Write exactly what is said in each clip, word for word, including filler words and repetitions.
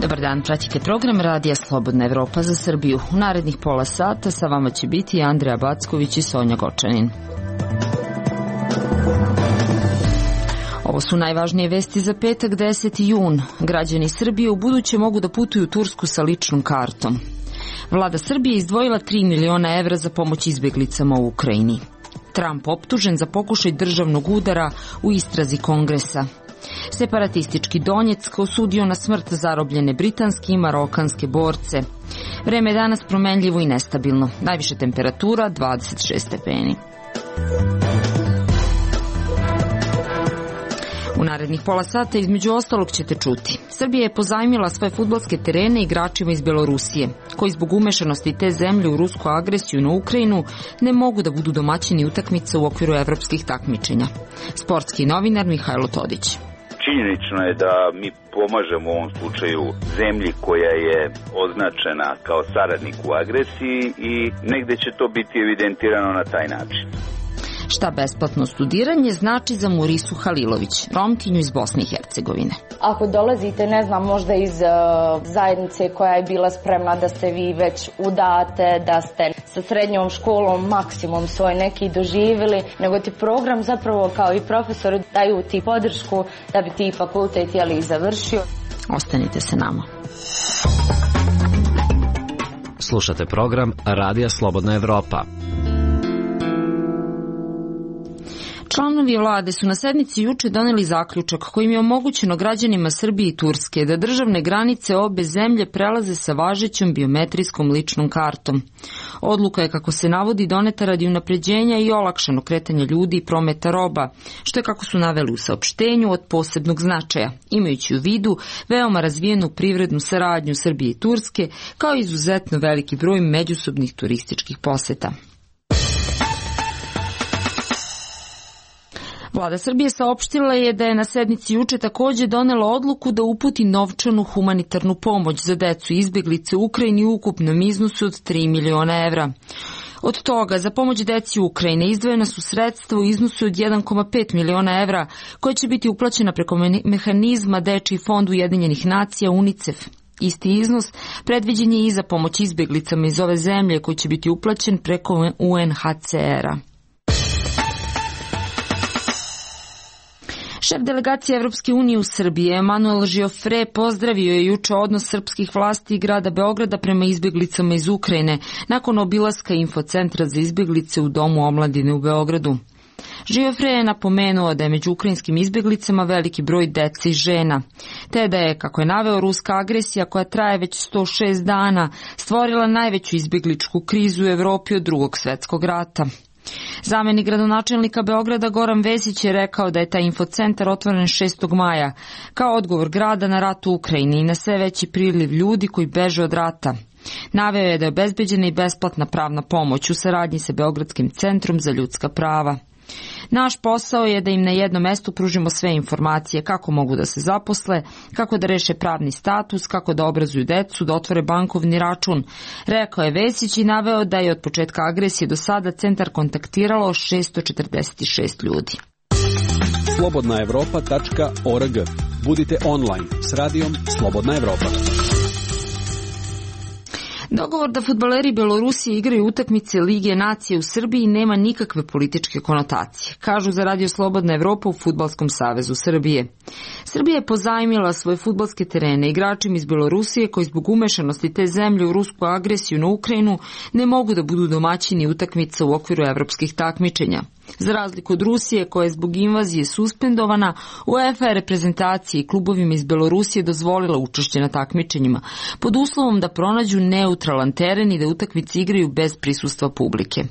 Dobar dan, pratite program Radija Slobodna Evropa za Srbiju. U narednih pola sata sa vama će biti Andreja Backović i Sonja Gočanin. Ovo su najvažnije vesti za petak deseti jun. Građani Srbije u buduće mogu da putuju u Tursku sa ličnom kartom. Vlada Srbije izdvojila tri miliona evra za pomoć izbjeglicama u Ukrajini. Trump optužen za pokušaj državnog udara u istrazi Kongresa. Separatistički Donjeck osudio na smrt zarobljene britanske i marokanske borce. Vreme je danas promenljivo i nestabilno. Najviše temperatura dvadeset šest stepeni. U narednih pola sata između ostalog ćete čuti. Srbija je pozajmila svoje fudbalske terene igračima iz Belorusije, koji zbog umešanosti te zemlje u rusku agresiju na Ukrajinu ne mogu da budu domaćini utakmica u okviru evropskih takmičenja. Sportski novinar Mihajlo Todić. Činjenično je da mi pomažemo u ovom slučaju zemlji koja je označena kao saradnik u agresiji i negde će to biti evidentirano na taj način. Šta besplatno studiranje znači za Murisu Halilović, Romkinju iz Bosne i Hercegovine. Ako dolazite, ne znam, možda iz uh, zajednice koja je bila spremna da ste vi već udate, da ste sa srednjom školom maksimum svoj neki doživjeli, nego ti program zapravo kao i profesori daju ti podršku da bi ti fakultet jeli završio. Ostanite se nama. Slušate program Radija Slobodna Evropa. Članovi vlade su na sednici juče doneli zaključak kojim je omogućeno građanima Srbije i Turske da državne granice obe zemlje prelaze sa važećom biometrijskom ličnom kartom. Odluka je, kako se navodi, doneta radi unapređenja i olakšano kretanja ljudi i prometa roba, što je, kako su naveli u saopštenju, od posebnog značaja, imajući u vidu veoma razvijenu privrednu saradnju Srbije i Turske, kao izuzetno veliki broj međusobnih turističkih poseta. Vlada Srbije saopštila je da je na sednici juče takođe donela odluku da uputi novčanu humanitarnu pomoć za decu i izbjeglice u Ukrajini u ukupnom iznosu od tri miliona evra. Od toga za pomoć deci u Ukrajini izdvojena su sredstva u iznosu od jedan zarez pet miliona evra, koja će biti uplaćena preko mehanizma Dečiji fond Ujedinjenih nacija UNICEF. Isti iznos predviđen je i za pomoć izbjeglicama iz ove zemlje, koji će biti uplaćen preko U N H C R-a. Šef delegacije Evropske unije u Srbiji, Emanuel Žiofre, pozdravio je juče odnos srpskih vlasti i grada Beograda prema izbjeglicama iz Ukrajine nakon obilaska infocentra za izbjeglice u Domu omladine u Beogradu. Žiofre je napomenuo da je među ukrajinskim izbjeglicama veliki broj dece i žena, te da je, kako je naveo, ruska agresija koja traje već sto šest dana stvorila najveću izbjegličku krizu u Evropi od Drugog svjetskog rata. Zamenik gradonačelnika Beograda Goran Vesić je rekao da je taj infocentar otvoren šestog maja kao odgovor grada na rat u Ukrajini i na sve veći priliv ljudi koji beže od rata. Naveo je da je obezbeđena i besplatna pravna pomoć u saradnji sa Beogradskim centrom za ljudska prava. Naš posao je da im na jednom mestu pružimo sve informacije kako mogu da se zaposle, kako da reše pravni status, kako da obrazuju decu, da otvore bankovni račun, rekao je Vesić i naveo da je od početka agresije do sada centar kontaktiralo šesto četrdeset šest ljudi. slobodna evropa tačka org. Budite online s radijom Slobodna Evropa. Dogovor da fudbaleri Belorusije igraju utakmice Lige nacije u Srbiji nema nikakve političke konotacije, kažu za Radio Slobodna Evropa u Fudbalskom savezu Srbije. Srbija je pozajmila svoje fudbalske terene igračima iz Belorusije koji zbog umešanosti te zemlje u rusku agresiju na Ukrajinu ne mogu da budu domaćini utakmica u okviru evropskih takmičenja. Za razliku od Rusije, koja je zbog invazije suspendovana, UEFA je reprezentaciji i klubovima iz Belorusije dozvolila učešće na takmičenjima, pod uslovom da pronađu neutralan teren i da utakmice igraju bez prisustva publike.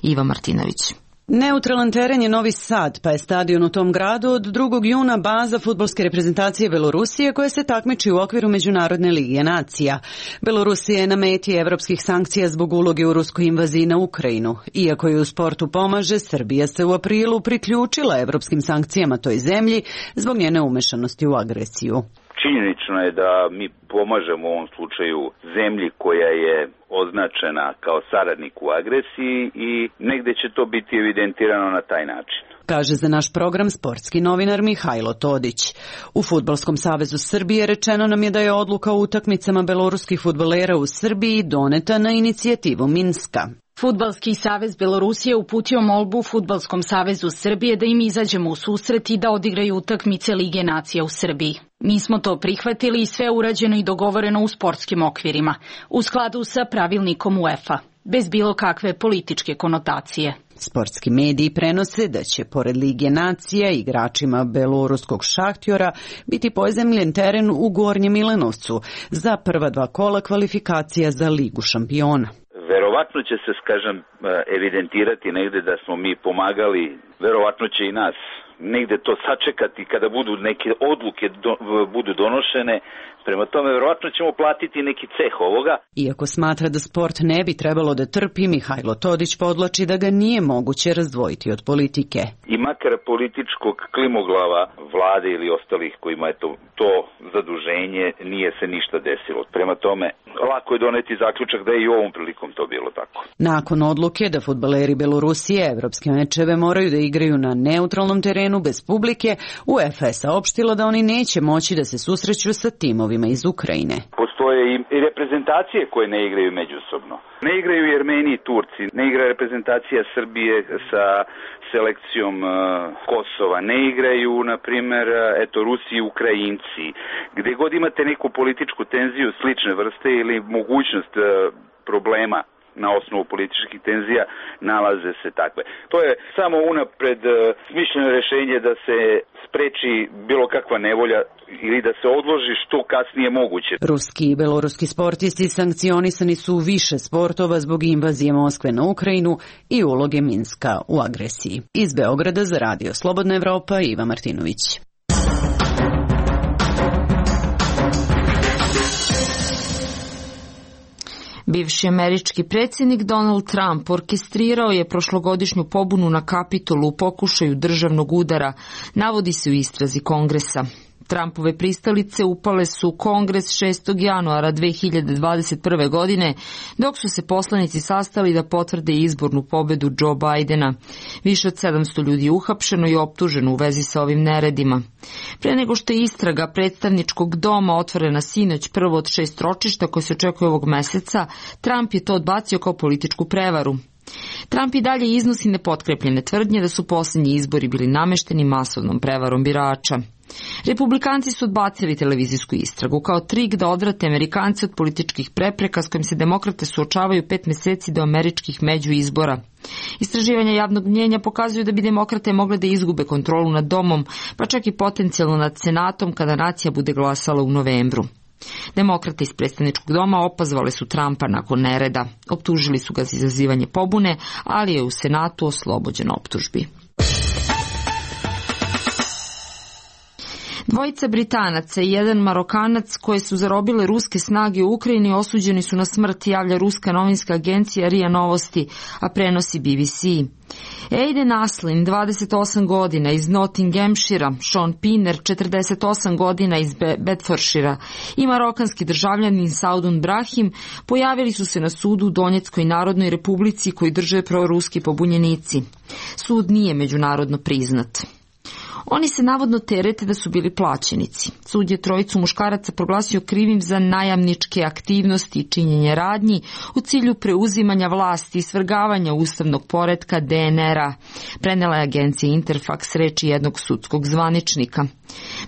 Iva Martinović. Neutralan teren je Novi Sad, pa je stadion u tom gradu od drugog juna baza fudbalske reprezentacije Belorusije koja se takmiči u okviru Međunarodne lige nacija. Belorusija je na meti evropskih sankcija zbog uloge u ruskoj invaziji na Ukrajinu. Iako je u sportu pomaže, Srbija se u aprilu priključila evropskim sankcijama toj zemlji zbog njene umešanosti u agresiju. Činjenično je da mi pomažemo u ovom slučaju zemlji koja je označena kao saradnik u agresiji i negde će to biti evidentirano na taj način. kaže za naš program sportski novinar Mihajlo Todić. U Fudbalskom savezu Srbije rečeno nam je da je odluka o utakmicama beloruskih fudbalera u Srbiji doneta na inicijativu Minska. Fudbalski savez Belorusije uputio molbu Fudbalskom savezu Srbije da im izađemo u susret i da odigraju utakmice Lige nacija u Srbiji. Mi smo to prihvatili i sve urađeno i dogovoreno u sportskim okvirima, u skladu sa pravilnikom UEFA, bez bilo kakve političke konotacije. Sportski mediji prenose da će, pored Lige nacija, igračima beloruskog Šahtjora biti pozemljen teren u Gornjem Milanovcu za prva dva kola kvalifikacija za Ligu šampiona. Verovatno će se, kažem, evidentirati negde da smo mi pomagali, verovatno će i nas negde to sačekati kada budu neke odluke do, budu donošene. Prema tome, verovatno ćemo platiti neki ceh ovoga. Iako smatra da sport ne bi trebalo da trpi, Mihajlo Todić podlači da ga nije moguće razdvojiti od politike. I makar političkog klimoglava vlade ili ostalih kojima je to, to zaduženje, nije se ništa desilo. Prema tome, lako je doneti zaključak da je i ovom prilikom to bilo tako. Nakon odluke da fudbaleri Belorusije evropske mečeve moraju da igraju na neutralnom terenu bez publike, UEFA je saopštila da oni neće moći da se susreću sa timovima iz Ukrajine. Postoje i reprezentacije koje ne igraju međusobno. Ne igraju i Armeni i Turci, ne igra reprezentacija Srbije sa selekcijom uh, Kosova, ne igraju, na primjer, eto, Rusi i Ukrajinci. Gde god imate neku političku tenziju slične vrste ili mogućnost uh, problema na osnovu političkih tenzija, nalaze se takve. To je samo unapred uh, smišljeno rešenje da se spreči bilo kakva nevolja ili da se odloži što kasnije moguće. Ruski i beloruski sportisti sankcionisani su u više sportova zbog invazije Moskve na Ukrajinu i uloge Minska u agresiji. Iz Beograda za Radio Slobodna Evropa, Iva Martinović. Bivši američki predsjednik Donald Trump orkestrirao je prošlogodišnju pobunu na Kapitolu u pokušaju državnog udara, navodi se u istrazi Kongresa. Trumpove pristalice upale su u Kongres šestog januara dve hiljade dvadeset prve. godine, dok su se poslanici sastali da potvrde izbornu pobedu Joe Bidena. Više od sedamsto ljudi je uhapšeno i optuženo u vezi sa ovim neredima. Pre nego što je istraga predstavničkog doma otvorena sinoć, prvo od šest ročišta koje se očekuje ovog meseca, Trump je to odbacio kao političku prevaru. Trump i dalje iznosi nepotkrepljene tvrdnje da su posljednji izbori bili namešteni masovnom prevarom birača. Republikanci su odbacili televizijsku istragu kao trik da odvrate Amerikance od političkih prepreka s kojim se demokrate suočavaju pet meseci do američkih međuizbora. Istraživanja javnog mnjenja pokazuju da bi demokrate mogle da izgube kontrolu nad domom, pa čak i potencijalno nad senatom kada nacija bude glasala u novembru. Demokrate iz predstavničkog doma opazvale su Trumpa nakon nereda. Optužili su ga za izazivanje pobune, ali je u senatu oslobođen optužbi. Dvojica Britanaca i jedan Marokanac koje su zarobile ruske snage u Ukrajini osuđeni su na smrt, javlja ruska novinska agencija R I A Novosti, a prenosi B B C. Aiden Aslin, dvadeset osam godina, iz Nottinghamshira, Sean Pinner, četrdeset osam godina, iz Bedfordshira i marokanski državljanin Saudun Brahim pojavili su se na sudu u Donjeckoj Narodnoj Republici koji drže proruski pobunjenici. Sud nije međunarodno priznat. Oni se navodno terete da su bili plaćenici. Sud je trojicu muškaraca proglasio krivim za najamničke aktivnosti i činjenje radnji u cilju preuzimanja vlasti i svrgavanja ustavnog poretka D N R-a, prenela je agencija Interfax reči jednog sudskog zvaničnika.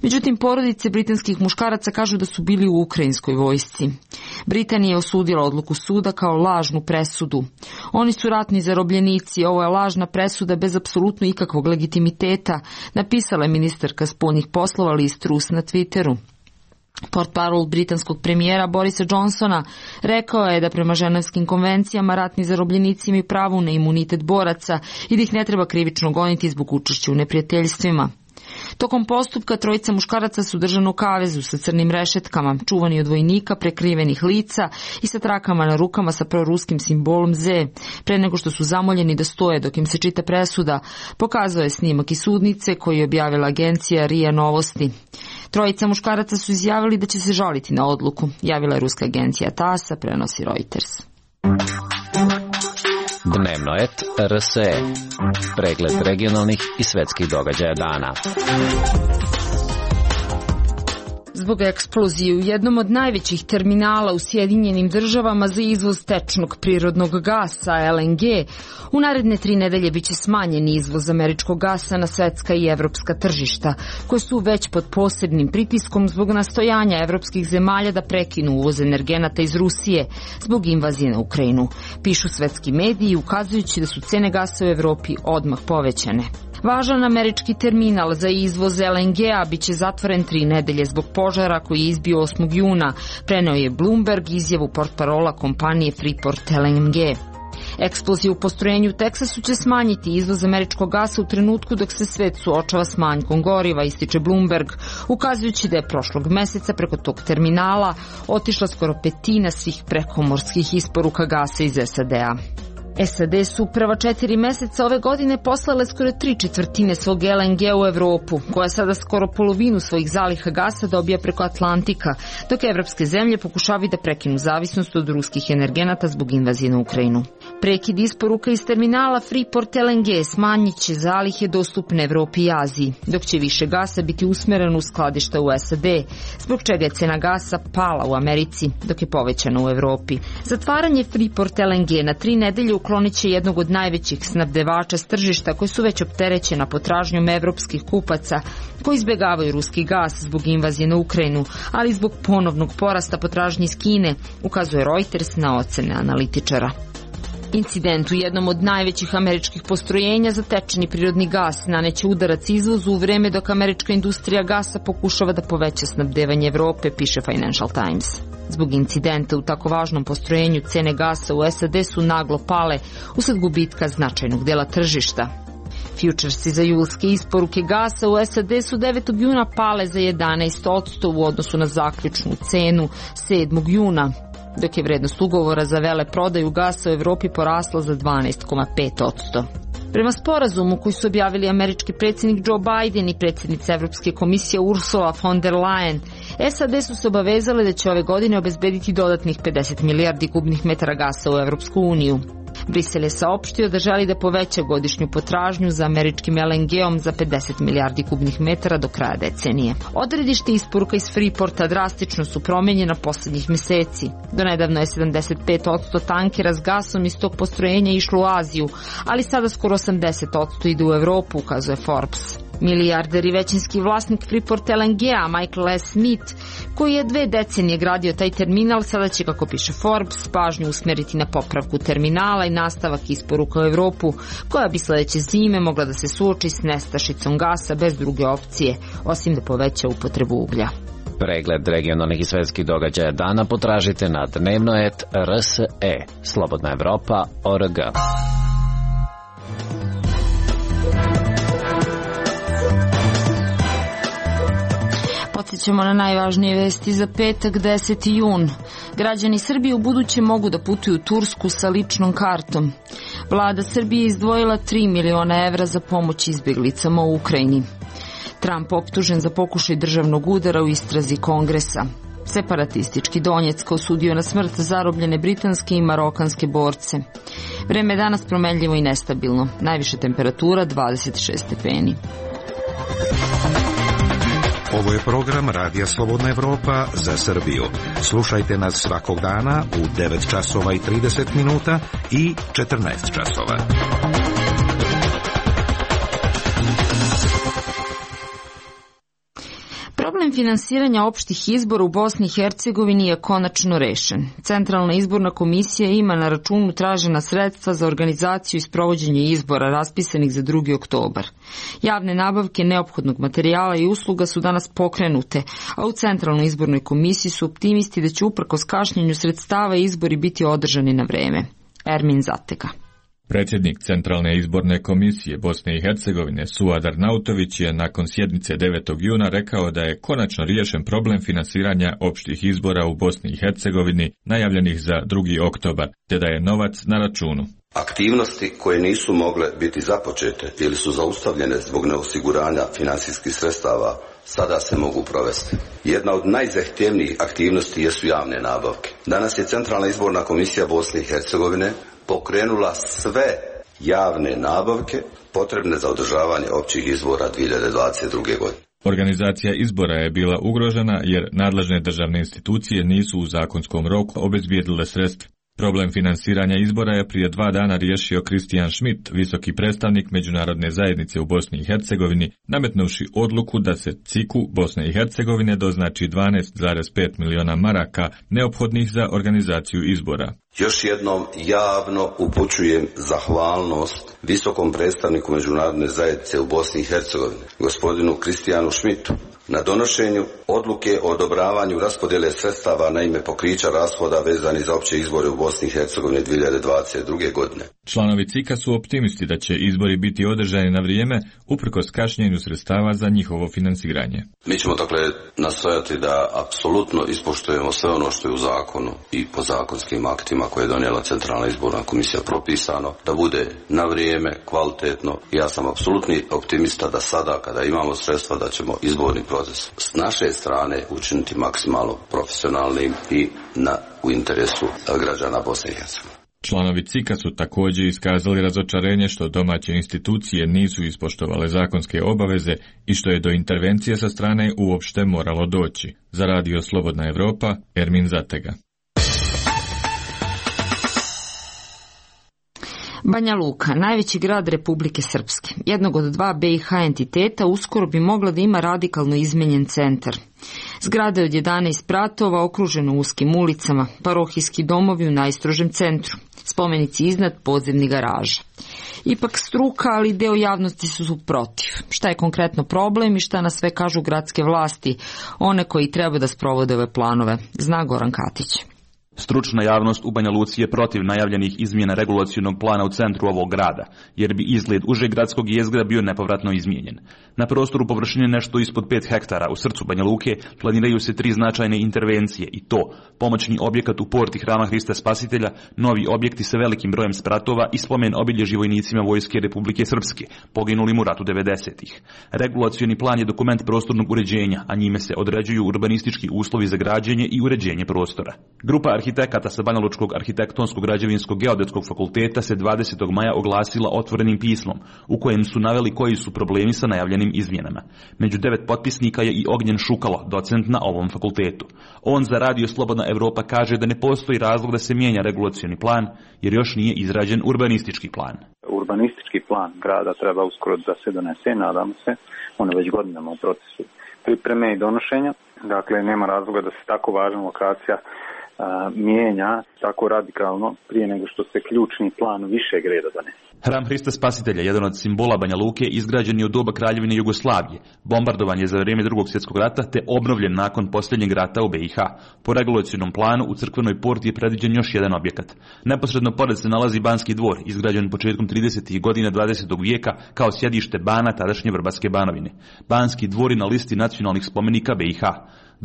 Međutim, porodice britanskih muškaraca kažu da su bili u ukrajinskoj vojsci. Britanija je osudila odluku suda kao lažnu presudu. Oni su ratni zarobljenici, ovo je lažna presuda bez apsolutno ikakvog legitimiteta, napisala je ministarka spoljnih poslova Liz Truss na Twitteru. Portparol britanskog premijera Borisa Johnsona rekao je da prema ženevskim konvencijama ratni zarobljenici imaju pravo na imunitet boraca i da ih ne treba krivično goniti zbog učešća u neprijateljstvima. Tokom postupka trojica muškaraca su držani u kavezu sa crnim rešetkama, čuvani od vojnika, prekrivenih lica i sa trakama na rukama sa proruskim simbolom Z. Pre nego što su zamoljeni da stoje dok im se čita presuda, pokazao je snimak iz sudnice koji je objavila agencija R I A Novosti. Trojica muškaraca su izjavili da će se žaliti na odluku, javila je ruska agencija T A S S, prenosi Reuters. Dnevno et R S E. Pregled regionalnih i svetskih događaja dana. Zbog eksplozije u jednom od najvećih terminala u Sjedinjenim državama za izvoz tečnog prirodnog gasa, L N G, u naredne tri nedelje biće smanjen izvoz američkog gasa na svetska i evropska tržišta, koje su već pod posebnim pritiskom zbog nastojanja evropskih zemalja da prekinu uvoz energenata iz Rusije zbog invazije na Ukrajinu, pišu svetski mediji, ukazujući da su cene gasa u Evropi odmah povećane. Važan američki terminal za izvoz L N G-a biće zatvoren tri nedelje zbog požara koji je izbio osmog juna, preneo je Bloomberg izjavu portparola kompanije Freeport L N G. Eksplozija u postrojenju u Teksasu će smanjiti izvoz američkog gasa u trenutku dok se svet suočava s manjkom goriva, ističe Bloomberg, ukazujući da je prošlog meseca preko tog terminala otišla skoro petina svih prekomorskih isporuka gasa iz S A D-a. S A D su prva četiri meseca ove godine poslale skoro tri četvrtine svog L N G u Evropu, koja sada skoro polovinu svojih zaliha gasa dobija preko Atlantika, dok evropske zemlje pokušavaju da prekinu zavisnost od ruskih energenata zbog invazije na Ukrajinu. Prekid isporuka iz terminala Freeport L N G smanjit će zalihe dostupne Evropi i Aziji, dok će više gasa biti usmereno u skladišta u S A D, zbog čega je cena gasa pala u Americi, dok je povećana u Evropi. Zatvaranje Freeport L N G na tri nedelje uklonit će jednog od najvećih snabdevača s tržišta koji su već opterećena potražnjom evropskih kupaca koji izbjegavaju ruski gas zbog invazije na Ukrajinu, ali zbog ponovnog porasta potražnje iz Kine, ukazuje Reuters na ocene analitičara. Incident u jednom od najvećih američkih postrojenja za tečni prirodni gas naneće udarac izvozu u vreme dok američka industrija gasa pokušava da poveća snabdevanje Evrope, piše Financial Times. Zbog incidenta u tako važnom postrojenju cene gasa u S A D su naglo pale usled gubitka značajnog dela tržišta. Futuresi za julske isporuke gasa u S A D su devetog juna pale za jedanaest posto u odnosu na zaključnu cenu sedmog juna, dok je vrednost ugovora za veleprodaju gasa u Evropi porasla za dvanaest zarez pet posto. Prema sporazumu koji su objavili američki predsjednik Joe Biden i predsjednica Evropske komisije Ursula von der Leyen, S A D su se obavezale da će ove godine obezbediti dodatnih pedeset milijardi kubnih metara gasa u Evropsku uniju. Brisel je saopštio da želi da poveća godišnju potražnju za američkim L N G-om za pedeset milijardi kubnih metara do kraja decenije. Odredište isporuka iz Freeporta drastično su promenjena posljednjih meseci. Do nedavno je sedamdeset pet posto tankera s gasom iz tog postrojenja išlo u Aziju, ali sada skoro osamdeset posto ide u Evropu, ukazuje Forbes. Milijarder i većinski vlasnik Freeport L N G-a Michael S. Smith, koji je dve decenije gradio taj terminal, sada će, kako piše Forbes, pažnju usmeriti na popravku terminala i nastavak isporuka u Evropu, koja bi sledeće zime mogla da se suoči s nestašicom gasa bez druge opcije, osim da poveća upotrebu uglja. Pregled regionalnih i svetskih događaja dana potražite na dnevno et R S E, Slobodna Evropa, O R G. Podsjećamo na najvažnije vesti za petak, deseti jun. Građani Srbije u buduće mogu da putuju u Tursku sa ličnom kartom. Vlada Srbije izdvojila tri miliona evra za pomoć izbjeglicama u Ukrajini. Trump optužen za pokušaj državnog udara u istrazi Kongresa. Separatistički Donjeck osudio na smrt zarobljene britanske i marokanske borce. Vreme je danas promenljivo i nestabilno. Najviša temperatura dvadeset šest stepeni. Ovo je program Radija Slobodna Evropa za Srbiju. Slušajte nas svakog dana u devet časova i trideset minuta i četrnaest časova. Problem finansiranja opštih izbora u Bosni i Hercegovini je konačno rešen. Centralna izborna komisija ima na računu tražena sredstva za organizaciju i sprovođenje izbora raspisanih za drugi oktobar. Javne nabavke neophodnog materijala i usluga su danas pokrenute, a u Centralnoj izbornoj komisiji su optimisti da će uprkos kašnjenju sredstava izbori biti održani na vreme. Ermin Zatega. Predsjednik Centralne izborne komisije Bosne i Hercegovine Suad Arnautović je nakon sjednice devetog juna rekao da je konačno riješen problem finansiranja opštih izbora u Bosni i Hercegovini najavljenih za drugi oktobar, te da je novac na računu. Aktivnosti koje nisu mogle biti započete ili su zaustavljene zbog neosiguranja finansijskih sredstava sada se mogu provesti. Jedna od najzahtjevnijih aktivnosti jesu javne nabavke. Danas je Centralna izborna komisija Bosne i Hercegovine pokrenula sve javne nabavke potrebne za održavanje općih izbora dvije hiljade dvadeset druge. godine. Organizacija izbora je bila ugrožena jer nadležne državne institucije nisu u zakonskom roku obezbijedile sredstva. Problem finansiranja izbora je prije dva dana riješio Kristijan Schmidt, visoki predstavnik međunarodne zajednice u Bosni i Hercegovini, nametnuvši odluku da se C I K-u Bosne i Hercegovine doznači dvanaest zarez pet miliona maraka neophodnih za organizaciju izbora. Još jednom javno upućujem zahvalnost visokom predstavniku međunarodne zajednice u Bosni i Hercegovini, gospodinu Kristijanu Schmidtu, na donošenju odluke o odobravanju raspodjele sredstava na ime pokrića rashoda vezanih za opće izbore u Bosni i Hercegovini dvije hiljade dvadeset druge. godine. Članovi C I K-a su optimisti da će izbori biti održani na vrijeme uprkos kašnjenju sredstava za njihovo finansiranje. Mi ćemo dakle nastojati da apsolutno ispoštujemo sve ono što je u zakonu i po zakonskim aktima koje je donijela Centralna izborna komisija propisano, da bude na vrijeme, kvalitetno. Ja sam apsolutni optimista da sada kada imamo sredstva da ćemo izborni proces s naše strane učiniti maksimalno profesionalnim i na, u interesu građana Bosne i Hercegovine. Članovi C I K-a su također iskazali razočarenje što domaće institucije nisu ispoštovale zakonske obaveze i što je do intervencije sa strane uopšte moralo doći. Za Radio Slobodna Evropa, Ermin Zatega. Banja Luka, najveći grad Republike Srpske, jednog od dva B i H entiteta, uskoro bi mogla da ima radikalno izmenjen centar. Zgrada od jedanaest spratova, okruženo uskim ulicama, parohijski domovi u najstrožem centru, spomenici iznad, podzemni garaža. Ipak struka, ali deo javnosti su protiv. Šta je konkretno problem i šta na sve kažu gradske vlasti, one koji treba da sprovode ove planove, zna Goran Katić. Stručna javnost u Banja Luci je protiv najavljenih izmjena regulacionog plana u centru ovog grada, jer bi izgled užeg gradskog jezgra bio nepovratno izmijenjen. Na prostoru površine nešto ispod pet hektara u srcu Banja Luke planiraju se tri značajne intervencije i to pomoćni objekat u porti Hrama Hrista Spasitelja, novi objekti sa velikim brojem spratova i spomen obilježi vojnicima Vojske Republike Srpske, poginulim u ratu devedesetih. Regulacioni plan je dokument prostornog uređenja, a njime se određuju urbanistički uslovi za građenje i uređenje prostora. Grupa arhitekata sa Banjalučkog arhitektonskog građevinskog geodetskog fakulteta se dvadesetog maja oglasila otvorenim pismom, u kojem su naveli koji su problemi sa najavljenim izmjenama. Među devet potpisnika je i Ognjen Šukalo, docent na ovom fakultetu. On za Radio Slobodna Evropa kaže da ne postoji razlog da se mijenja regulacioni plan, jer još nije izrađen urbanistički plan. Urbanistički plan grada treba uskoro da se donese, nadamo se, on je već godinama u procesu pripreme i donošenja, dakle nema razloga da se tako važna lokacija a, mijenja tako radikalno prije nego što se ključni plan višeg reda donese. Hram Hrista Spasitelja, jedan od simbola Banja Luke, izgrađen je u doba Kraljevine Jugoslavije, bombardovan je za vrijeme Drugog svjetskog rata te obnovljen nakon posljednjeg rata u B i H. Po regulacionom planu u crkvenoj porti je predviđen još jedan objekat. Neposredno pored se nalazi Banski dvor, izgrađen početkom tridesetih godina dvadesetog vijeka kao sjedište bana tadašnje Vrbatske Banovine. Banski dvor je na listi nacionalnih spomenika B i H.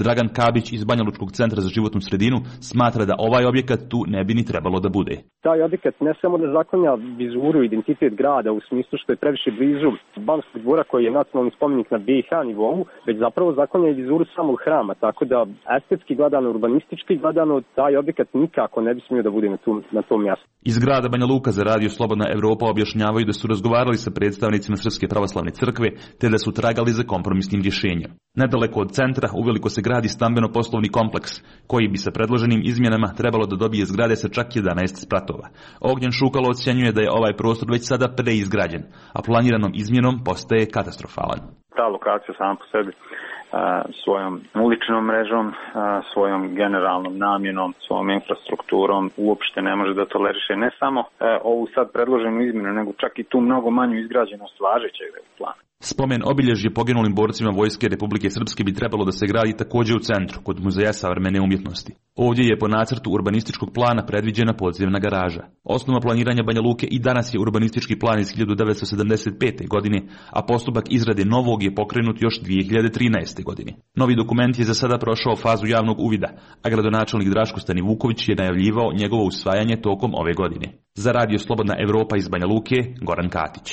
Dragan Kabić iz Banjalučkog centra za životnu sredinu smatra da ovaj objekat tu ne bi ni trebalo da bude. Taj objekat ne samo da zaklanja vizuru, identitet grada u smislu što je previše blizu Banskog dvora koji je nacionalni spomenik na B i H nivou, već zapravo zaklanja i vizuru samog hrama, tako da estetski gledano, urbanistički gledano, taj objekat nikako ne bi smio da bude na tom, na tom mjestu. Iz grada Banja Luka za Radio Slobodna Evropa objašnjavaju da su razgovarali sa predstavnicima Srpske pravoslavne crkve te da su tragali za kompromisnim rješenjem. Nedaleko od centra uveliko se gradi stambeno-poslovni kompleks, koji bi sa predloženim izmjenama trebalo da dobije zgrade sa čak jedanaest spratova. Ognjen Šukalo ocjenjuje da je ovaj prostor već sada preizgrađen, a planiranom izmjenom postaje katastrofalan. Ta lokacija sama po sebi svojom uličnom mrežom, svojom generalnom namjenom, svojom infrastrukturom uopšte ne može da toleriše ne samo ovu sad predloženu izmjenu, nego čak i tu mnogo manju izgrađenost važećeg plana. Spomen obilježje poginulim borcima Vojske Republike Srpske bi trebalo da se gradi također u centru, kod Muzeja savremene umjetnosti. Ovdje je po nacrtu urbanističkog plana predviđena podzemna garaža. Osnova planiranja Banja Luke i danas je urbanistički plan iz hiljadu devetsto sedamdeset pete. godine, a postupak izrade novog je pokrenut još dvije hiljade trinaeste. godine. Novi dokument je za sada prošao fazu javnog uvida, a gradonačelnik Draško Stani Vuković je najavljivao njegovo usvajanje tokom ove godine. Za Radio Slobodna Evropa iz Banja Luke, Goran Katić.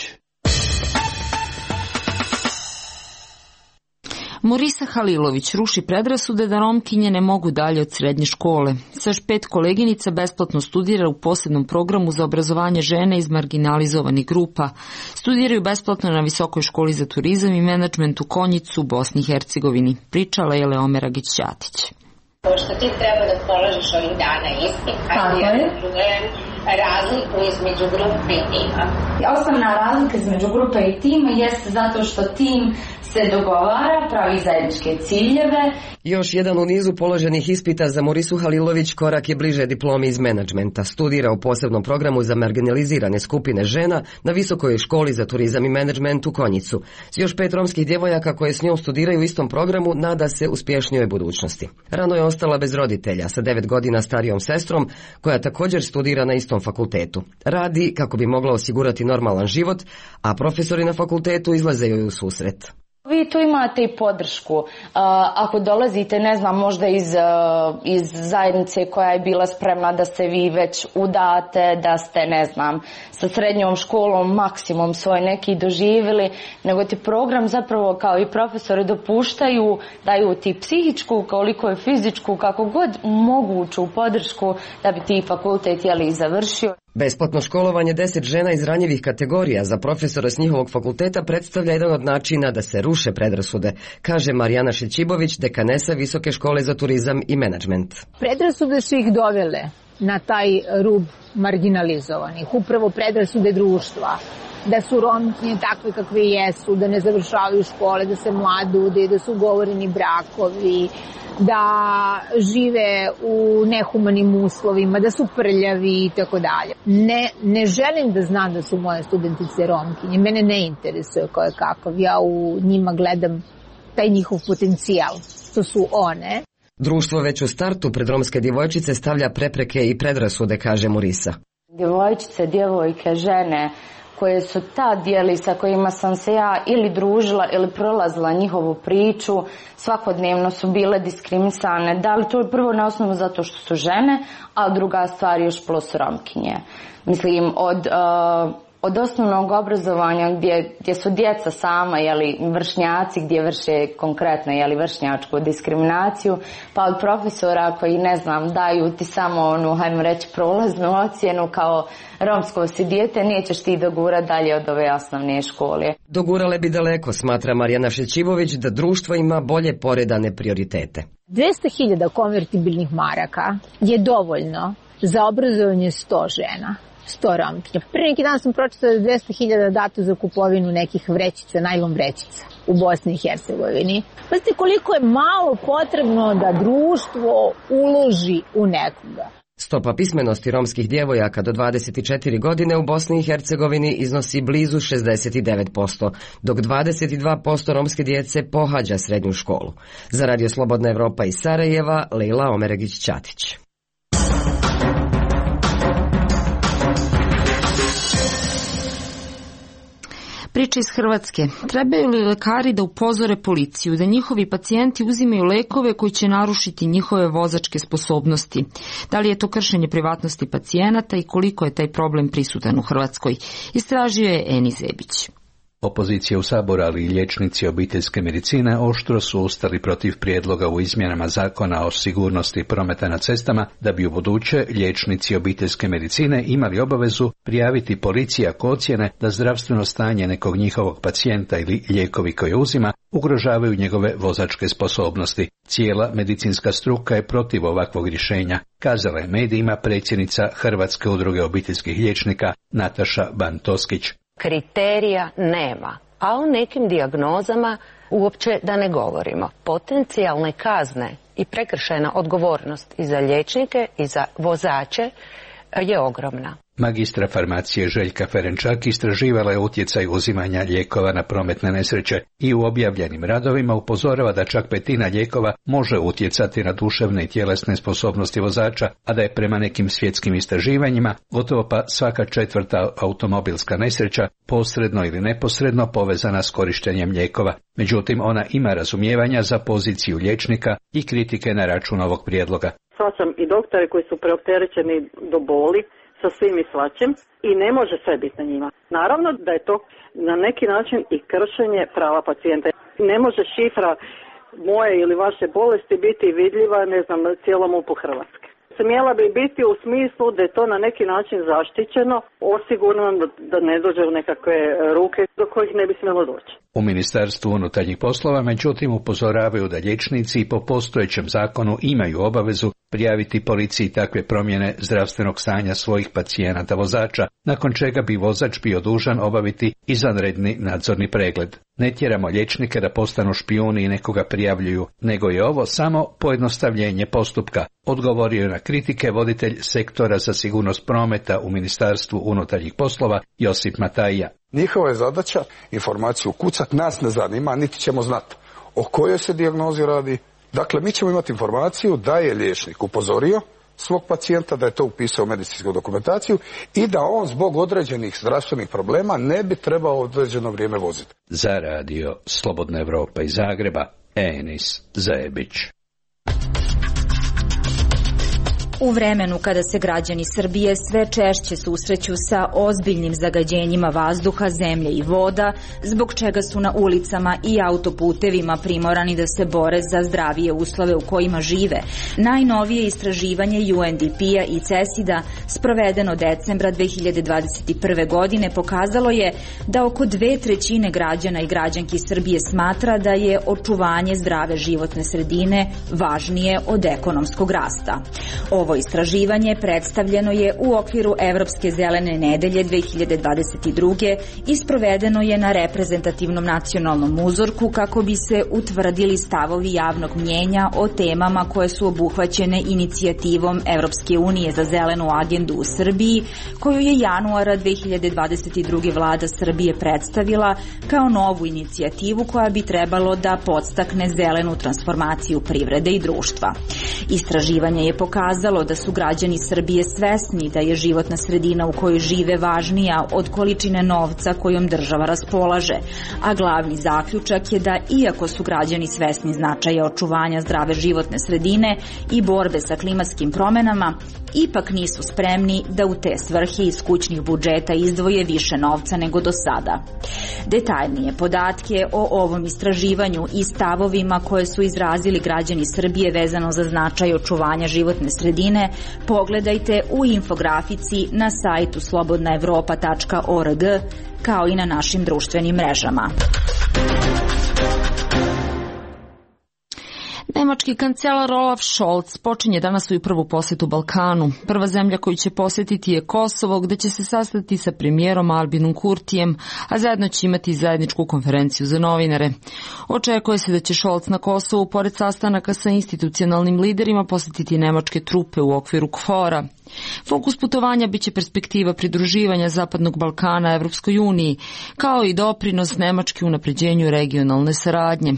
Morisa Halilović ruši predrasude da Romkinje ne mogu dalje od srednje škole. Sa još pet koleginica besplatno studira u posebnom programu za obrazovanje žene iz marginalizovanih grupa. Studiraju besplatno na Visokoj školi za turizam i menadžment u Konjicu u Bosni i Hercegovini. Pričala je Leomera Gić-Ćatić. Pošto ti treba da položiš ovih dana ispit, hajde ja da čujem razliku između grupe i tima. Osnovna razlika između grupe i tima jeste zato što tim se dogovara, pravi zajedničke ciljeve. Još jedan u nizu položenih ispita za Morisu Halilović korak je bliže diplomi iz menadžmenta. Studira u posebnom programu za marginalizirane skupine žena na Visokoj školi za turizam i menadžment u Konjicu. S još pet romskih djevojaka koje s njom studiraju u istom programu nada se uspješnijoj budućnosti. Rano je ostala bez roditelja sa devet godina starijom sestrom koja također studira na istom fakultetu. Radi kako bi mogla osigurati normalan život, a profesori na fakultetu izlaze joj u susret. Vi tu imate i podršku. Uh, ako dolazite, ne znam, možda iz, uh, iz zajednice koja je bila spremna da se vi već udate, da ste, ne znam, sa srednjom školom maksimum svoj neki doživjeli, nego ti program zapravo kao i profesori dopuštaju, daju ti psihičku, koliko je fizičku, kako god moguću podršku da bi ti fakultet jeli završio. Besplatno školovanje deset žena iz ranjivih kategorija za profesora s njihovog fakulteta predstavlja jedan od načina da se ruše predrasude, kaže Marijana Šećibović, dekanesa Visoke škole za turizam i menadžment. Predrasude su ih dovele na taj rub marginalizovanih, upravo predrasude društva, da su Romkinje takve kakve jesu, da ne završavaju škole, da se mladude, da su ugovoreni brakovi, da žive u nehumanim uslovima, da su prljavi i tako dalje. Ne, ne želim da znam da su moje studentice Romkinje, mene ne interesuje ko je kakav, ja u njima gledam taj njihov potencijal, što su one. Društvo već u startu pred romske djevojčice stavlja prepreke i predrasude, kaže Morisa. Djevojčice, djevojke, žene koje su ta dijeli sa kojima sam se ja ili družila ili prolazila njihovu priču, svakodnevno su bile diskriminisane. Da li to je prvo na osnovu zato što su žene, a druga stvar još plus Romkinje. Mislim, od, uh, od osnovnog obrazovanja gdje, gdje su djeca sama, jeli, vršnjaci, gdje vrše konkretno, jeli, vršnjačku diskriminaciju, pa od profesora koji, ne znam, daju ti samo onu, hajmo reći, prolaznu ocjenu kao romsko si dijete, nećeš ti dogurati dalje od ove osnovne škole. Dogurale bi daleko, smatra Marijana Šećivović, da društvo ima bolje poredane prioritete. dvesta hiljada konvertibilnih maraka je dovoljno za obrazovanje sto žena. sto Romkinja. Pre neki dan sam pročitala da dvesta hiljada dato za kupovinu nekih vrećica, najlon vrećica u Bosni i Hercegovini. Pazite koliko je malo potrebno da društvo uloži u nekoga. Stopa pismenosti romskih djevojaka do dvadeset četiri godine u Bosni i Hercegovini iznosi blizu šezdeset devet posto, dok dvadeset dva posto romske djece pohađa srednju školu. Za Radio Slobodna Evropa iz Sarajeva, Lejla Omeregić-Ćatić. Priča iz Hrvatske. Trebaju li lekari da upozore policiju da njihovi pacijenti uzimaju lekove koji će narušiti njihove vozačke sposobnosti? Da li je to kršenje privatnosti pacijenata i koliko je taj problem prisutan u Hrvatskoj? Istražio je Eni Zebić. Opozicija u Saboru, ali i liječnici obiteljske medicine oštro su ustali protiv prijedloga u izmjenama zakona o sigurnosti prometa na cestama da bi u buduće liječnici obiteljske medicine imali obavezu prijaviti policiji ako ocjene da zdravstveno stanje nekog njihovog pacijenta ili lijekovi koje uzima ugrožavaju njegove vozačke sposobnosti. Cijela medicinska struka je protiv ovakvog rješenja, kazala je medijima predsjednica Hrvatske udruge obiteljskih liječnika Nataša Bantoskić. Kriterija nema, a o nekim dijagnozama uopće da ne govorimo. Potencijalne kazne i prekršajna odgovornost i za liječnike i za vozače je ogromna. Magistra farmacije Željka Ferenčak istraživala je utjecaj uzimanja lijekova na prometne nesreće i u objavljenim radovima upozorava da čak petina lijekova može utjecati na duševne i tjelesne sposobnosti vozača, a da je prema nekim svjetskim istraživanjima gotovo pa svaka četvrta automobilska nesreća posredno ili neposredno povezana s korištenjem lijekova. Međutim, ona ima razumijevanja za poziciju liječnika i kritike na račun ovog prijedloga. Svačam i doktore koji su preopterećeni do boli sa svim i svačim i ne može sve biti na njima. Naravno da je to na neki način i kršenje prava pacijenta. Ne može šifra moje ili vaše bolesti biti vidljiva, ne znam, cijelom upu Hrvatske. Smjela bi biti u smislu da je to na neki način zaštićeno, osigurano da ne dođe u nekakve ruke do kojih ne bi smjelo doći. U Ministarstvu unutarnjih poslova međutim upozoravaju da liječnici po postojećem zakonu imaju obavezu prijaviti policiji takve promjene zdravstvenog stanja svojih pacijenata vozača, nakon čega bi vozač bio dužan obaviti izvanredni nadzorni pregled. Ne tjeramo liječnike da postanu špijuni i nekoga prijavljuju, nego je ovo samo pojednostavljenje postupka, odgovorio je na kritike voditelj sektora za sigurnost prometa u Ministarstvu unutarnjih poslova Josip Matajja. Njihova je zadaća informaciju kucat, nas ne zanima, niti ćemo znati o kojoj se dijagnozi radi. Dakle, mi ćemo imati informaciju da je liječnik upozorio svog pacijenta, da je to upisao u medicinsku dokumentaciju i da on zbog određenih zdravstvenih problema ne bi trebao određeno vrijeme voziti. Za radio Slobodna Evropa iz Zagreba, Enis Zajebić. U vremenu kada se građani Srbije sve češće susreću sa ozbiljnim zagađenjima vazduha, zemlje i voda, zbog čega su na ulicama i autoputevima primorani da se bore za zdravije uslove u kojima žive, najnovije istraživanje U N D P-a i CESID-a sprovedeno decembra dve hiljade dvadeset prve. godine pokazalo je da oko dve trećine građana i građanki Srbije smatra da je očuvanje zdrave životne sredine važnije od ekonomskog rasta. Ovo istraživanje predstavljeno je u okviru Evropske zelene nedelje dve hiljade dvadeset druge. i sprovedeno je na reprezentativnom nacionalnom uzorku kako bi se utvrdili stavovi javnog mnjenja o temama koje su obuhvaćene inicijativom Evropske unije za zelenu agendu u Srbiji, koju je januara dve hiljade dvadeset druge. vlada Srbije predstavila kao novu inicijativu koja bi trebalo da podstakne zelenu transformaciju privrede i društva. Istraživanje je pokazalo da su građani Srbije svesni da je životna sredina u kojoj žive važnija od količine novca kojom država raspolaže, a glavni zaključak je da iako su građani svesni značaja očuvanja zdrave životne sredine i borbe sa klimatskim promenama, ipak nisu spremni da u te svrhe iz kućnih budžeta izdvoje više novca nego do sada. Detaljnije podatke o ovom istraživanju i stavovima koje su izrazili građani Srbije vezano za značaj očuvanja životne sredine pogledajte u infografici na sajtu slobodna evropa tačka org kao i na našim društvenim mrežama. Nemački kancelar Olaf Scholz počinje danas svoju prvu posjetu Balkanu. Prva zemlja koju će posjetiti je Kosovo, gde će se sastati sa premijerom Albinom Kurtijem, a zajedno će imati zajedničku konferenciju za novinare. Očekuje se da će Scholz na Kosovu, pored sastanaka sa institucionalnim liderima, posjetiti nemačke trupe u okviru KFOR-a. Fokus putovanja biće perspektiva pridruživanja Zapadnog Balkana Evropskoj uniji, kao i doprinos Nemačke unapređenju regionalne saradnje.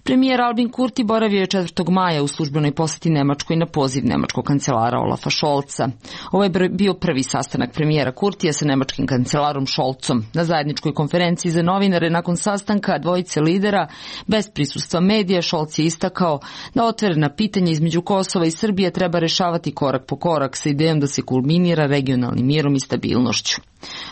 Premijer Albin Kurti boravio je četvrtog maja u službenoj posjeti Nemačkoj na poziv nemačkog kancelara Olafa Scholza. Ovo je bio prvi sastanak premijera Kurtija sa nemačkim kancelarom Scholzom. Na zajedničkoj konferenciji za novinare nakon sastanka dvojice lidera, bez prisustva medija, Scholz je istakao da otvorena pitanja između Kosova i Srbije treba rešavati korak po korak sa idejom da se kulminira regionalnim mirom i stabilnošću.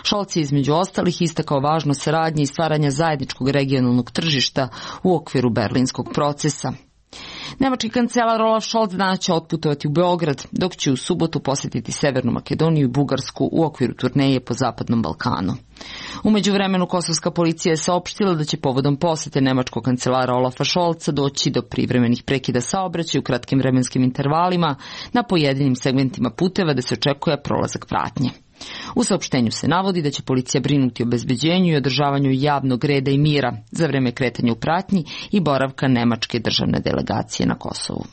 Scholz je između ostalih istakao važnost saradnje i stvaranja zajedničkog regionalnog tržišta u okviru berlinskog procesa. Nemački kancelar Olaf Scholz danas će otputovati u Beograd, dok će u subotu posjetiti Severnu Makedoniju i Bugarsku u okviru turneje po Zapadnom Balkanu. U međuvremenu kosovska policija je saopštila da će povodom posete nemačkog kancelara Olafa Scholza doći do privremenih prekida saobraćaja u kratkim vremenskim intervalima na pojedinim segmentima puteva da se očekuje prolazak pratnje. U saopštenju se navodi da će policija brinuti o bezbeđenju i održavanju javnog reda i mira za vreme kretanja u pratnji i boravka nemačke državne delegacije na Kosovu.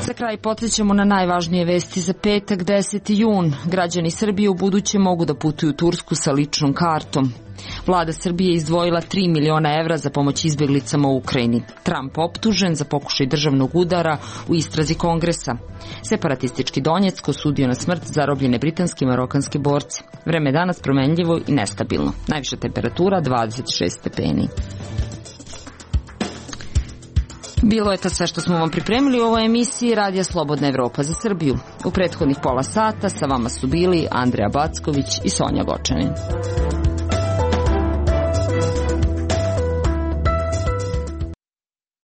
Za kraj podsjećamo na najvažnije vesti za petak, deseti jun. Građani Srbije u buduće mogu da putuju u Tursku sa ličnom kartom. Vlada Srbije je izdvojila tri miliona evra za pomoć izbjeglicama u Ukrajini. Trump optužen za pokušaj državnog udara u istrazi Kongresa. Separatistički Donjeck osudio na smrt zarobljene britanske i marokanske borce. Vreme je danas promenljivo i nestabilno. Najviša temperatura dvadeset šest stepeni. Bilo je to sve što smo vam pripremili u ovoj emisiji Radija Slobodna Evropa za Srbiju. U prethodnih pola sata sa vama su bili Andreja Backović i Sonja Gočanin.